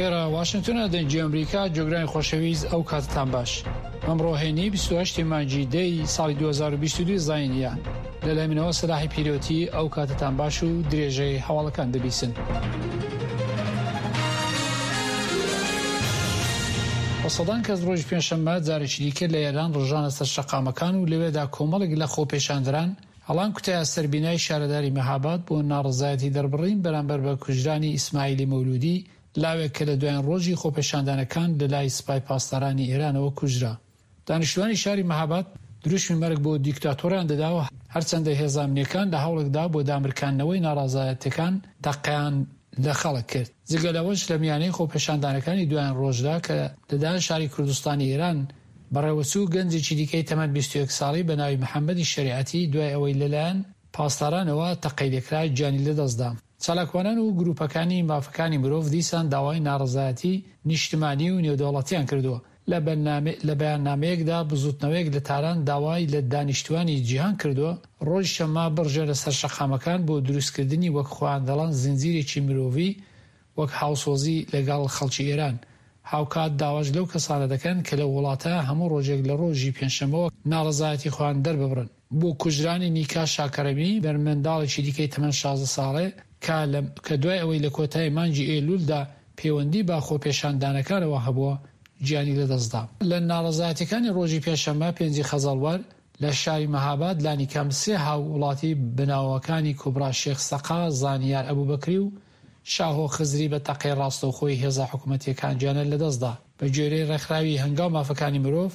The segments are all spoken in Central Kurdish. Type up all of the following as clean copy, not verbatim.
ئێرە واشنتۆنە دەنگی ئەمریکا جۆگرانی خۆشەویست ئەو کاتتان باش ئەمڕۆ هەینی 28 مانگی دەی ساڵی 2022 زاینیە لەلای منەوە سەلاحی پیرۆتی ئەو کاتتان باش و درێژەی هەواڵەکان دەبیسن. بە سەدان کەس ڕۆژی پێنجشەممە جارێکی دیکە لە ئێران ڕژانە سەر شەقامەکان و لەوێدا کۆمەڵێک لە خۆپێشاندەران هەڵان کوتایە سەر بینای شارەداری مەهاباد بۆ ناڕەزایەتی دەربڕین بەرامبەر بە کوژرانی ئیسماعیلی مەولوودی، لاوێک کە لە دوایین ڕۆژی خۆپێشاندانەکان لە لای سپای پاسدارانی ئێرانەوە کوژرا. دانیشتووانی شاری مەهاباد دروشمی مەرگ بۆ دیکتاتۆریان دەدا و هەرچەندە هێزە ئەمنییەکان لە هەوڵێکدا بۆ دامرکاندنەوەی ناڕەزایەتییەکان تەقەیان لە خەڵک کرد. جگە لەوەش لە میانەی خۆپێشاندانەکانی دوایین ڕۆژدا کە لە شاری کوردستانی ئێران بەڕێوەچوو، گەنجێکی دیکەی تەمەن 21 ساڵی بە ناوی محەممەدی شەریعەتی دوای ئەوەی لەلایەن پاسدارانەوە تەقەی لێکرا گیانی لەدەستدا. چالاکوانان و گروپەکانی مافەکانی مرۆڤ دیسان داوای ناڕەزایەتی نیشتمانی و نێودەوڵەتیان کردووە. لە بەیاننامەیەکدا بزوتنەوەیەک لە تاران داوای لە دانیشتوانی جیهان کردووە ڕۆژی شەممە بڕژێنە سەر شەقامەکان بۆ دروستکردنی وەک خۆیان دەڵێن زنجیرێکی مرۆڤی وەک هاوسۆزی لەگەڵ خەڵکی ئێران. هاوکات داواش لەو کەسانە دەکەن کە لەو وڵاتە هەموو ڕۆژێک لە ڕۆژی پێنجشەممەوە ناڕەزایەتی خۆیان دەرببڕن. بۆ کوژرانی نیکا شاکەرەمی، مێرمنداڵێکی دیکەی تەمەن 16 ساڵێ کە لە کە دوای ئەوەی لە کۆتایی مانگی ئەیلوولدا پەیوەندی بە خۆپێشاندانەکانەوە هەبووە، گیانی لەدەستدا. لە ناڕەزایەتیەکانی ڕۆژی پێنجشەممە پێنجی خەزەڵوەر لە شاری مەهاباد لانیکەم سێ هاووڵاتی بە ناوەکانی کوبرا شێخ سەقا، زانیار ئەبوبەکری و شاهۆ خزری بە تەقەی ڕاستەوخۆی هێزە حکومەتیەکان گیانیان لەدەستدا. بە گوێرەی ڕێکخراوی هەنگاو مافەکانی مرۆڤ،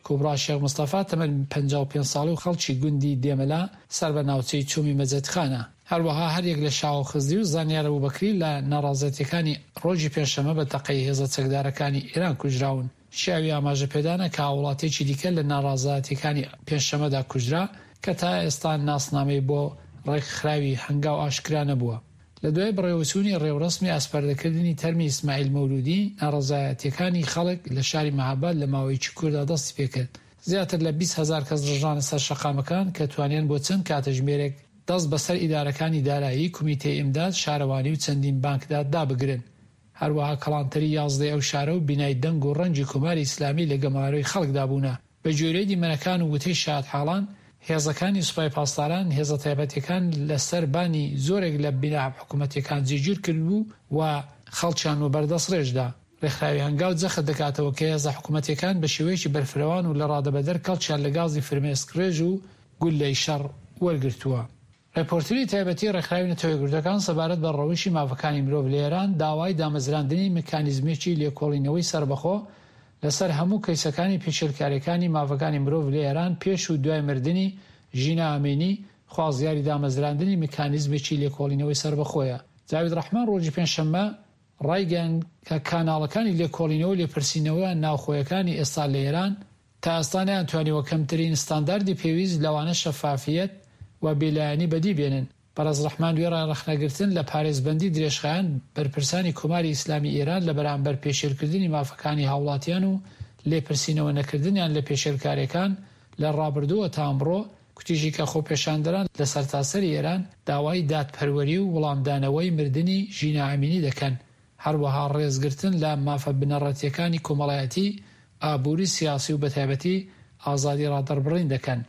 کوبرا شێخ مستەفا تەمەن 55 ساڵی و خەڵکی گوندی دێمەلا سەر بە ناوچەی چۆمی مەجەدخانە. هەروەها هەریەک لە شاهۆ خزری و زانیار ئەبوبەکری لە ناڕازیەتیەکانی ڕۆژی پێنجشەممە بە تەقەی هێزە چەکدارەکانی ئێران کوژراون. شیاوی ئاماژە پێدانە کە هاووڵاتیەکی دیکە لە ناڕازایەتیەکانی پێنجشەممەدا کوژرا کە تا ئێستا ناسنامەی بۆ ڕێکخراوی هەنگاو ئاشکرا نەبووە. لە دوای بەڕێوەچوونی ڕێوڕەسمی ئاسپاردەکردنی تەرمی ئیسماعیل مەولوودی، ناڕەزایەتییەکانی خەڵک لە شاری مەهاباد لە ماوەیەکی کورتدا دەستی پێکرد. زیاتر لە 20 هەزار کەس ڕژانە سەر شەقامەکان کە توانیان بۆ چەند کاتژمێرێک دەست بەسەر ئیدارەکانی دارایی، کومیتەی ئیمداد، شارەوانی و چەندین بانکدا دابگرن. هەروەها کەڵانتەری یازدەی ئەو شارە و بینای دەنگ و ڕەنگی کۆماری ئیسلامی لە گەمارۆی خەڵکدا بوونە. بە گوێرەی دیمەنەکان و وتەی شایەتحاڵان، هێزەکانی سوپای پاسداران هێزە تایبەتیەکان لە سەر بانی زۆرێک لە بینا حکومەتیەکان جێگیر کردبوو و خەڵکیان وەبەر دەسڕێژ دا. رێکخراوی هەنگاو جەخت دەکاتەوە کە هێزە حکومەتیەکان بە شێوەیەکی بەرفرەوان و لە ڕادەبەدەر کەڵکیان لە گازی فرمێسکڕێژ و گوللەی شەڕ وەرگرتووە. ڕێپۆرتری تایبەتی ڕێکخراوی نەتەوەیەکگرتووەکان سەبارەت بە ڕەوشی مافەکانی مرۆڤ لە ئێران داوای دامەزراندنی مکانیزمێکی لێکۆڵینەوەی سەربەخۆ لەسەر هەموو کەیسەکانی پێشێلکارییەکانی مافەکانی مرۆڤ لە ئێران پێش و دوای مردنی ژینا ئەمینی خوازیاری دامەزراندنی مکانیزمێکی لێکۆڵینەوەی سەربەخۆیە. جاوید ڕەحمان ڕۆژی پێنجشەممە ڕایگەیاند کە کاناڵەکانی لێکۆڵینەوە و لێپرسینەوە ناوخۆیەکانی ئێستا لە ئێران تا ئێستا نەیانتوانیوە کەمترین ستانداردی پێویست لەوانە شەفافیەت و بێلایەنی بەدی بێنن. بەڕێز ڕەحمان وێڕای ڕەخنەگرتن لە پارێزبەندی درێژخایەن بەرپرسانی کۆماری ئیسلامی ئێران لە بەرامبەر پێشێلکردنی مافەکانی هاوڵاتیان و لێپرسینەوە نەکردنیان لە پێشێلکاریەکان لە ڕابردووە تا ئەمڕۆ، کوتیشی کە خۆپێشاندەران لە سەرتاسەری ئێران داوای دادپەروەری و وڵامدانەوەی مردنی ژینا ئەمینی دەکەن، هەروەها ڕێزگرتن لە مافە بنەڕەتییەکانی کۆمەڵایەتی، ئابووری، سیاسی و بەتایبەتی ئازادی ڕادەربڕین دەکەن.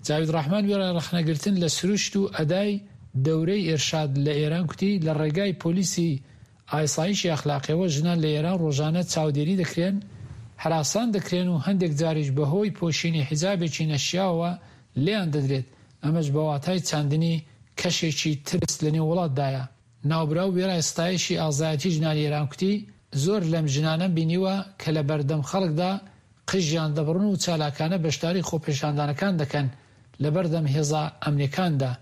جاوید ڕەحمان وێڕای ڕەخنەگرتن لە سروشت و ئەدای دەورەی ئێرشاد لە ئێران کوتی، لە ڕێگای پۆلیسی ئایسایشی ئەخلاقیەوە ژنان لە ئێران ڕۆژانە چاودێری دەکرێن، هەراسان دەکرێن و هەندێک جاریش بەهۆی پۆشینی حیجابێکی نەشیاوەوە لێیان دەدرێت، ئەمەش بە واتای چاندنی کەشێکی ترس لەنێو وڵاتدایە. ناوبراو وێڕای ستایشی ئازایەتی ژنانی ئێران کوتی، زۆر لەم ژنانەم بینیوە کە لە بەردەم خەڵکدا قژیان دەبڕن و چالاکانە بەشداری خۆپێشاندانەکان دەکەن لە بەردەم هێزە ئەمنیەکاندا.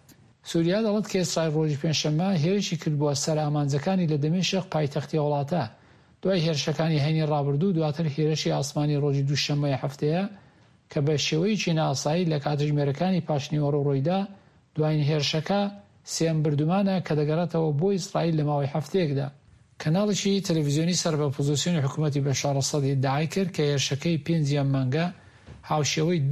سوریا دەڵێت کە ئیسرائیل ڕۆژی پێنجشەممە هێرشی کردبووە سەر ئامانجەکانی لە دەمیشق پایتەختی ئەو وڵاتە دوای هێرشەکانی هەینی ڕابردوو و دواتر هێرشی ئاسمانی ڕۆژی دووشەممەی هەفتەیە کە بە شێوەیەکی نائاسایی لە کاتژمێرەکانی پاشنیوەڕۆ ڕوویدا، دوایین هێرشەکە سێیەم بردومانە کە دەگەڕێتەوە بۆ ئیسرائیل لە ماوەی هەفتەیەکدا. کەناڵێکی تەلەفزیۆنی سەر بە ئۆپۆزسیۆنی حکومەتی بەشار ئەسەد ئیدعای کرد کە هێرشەکەی پێنجی ئەم مانگە هاوشێوەی.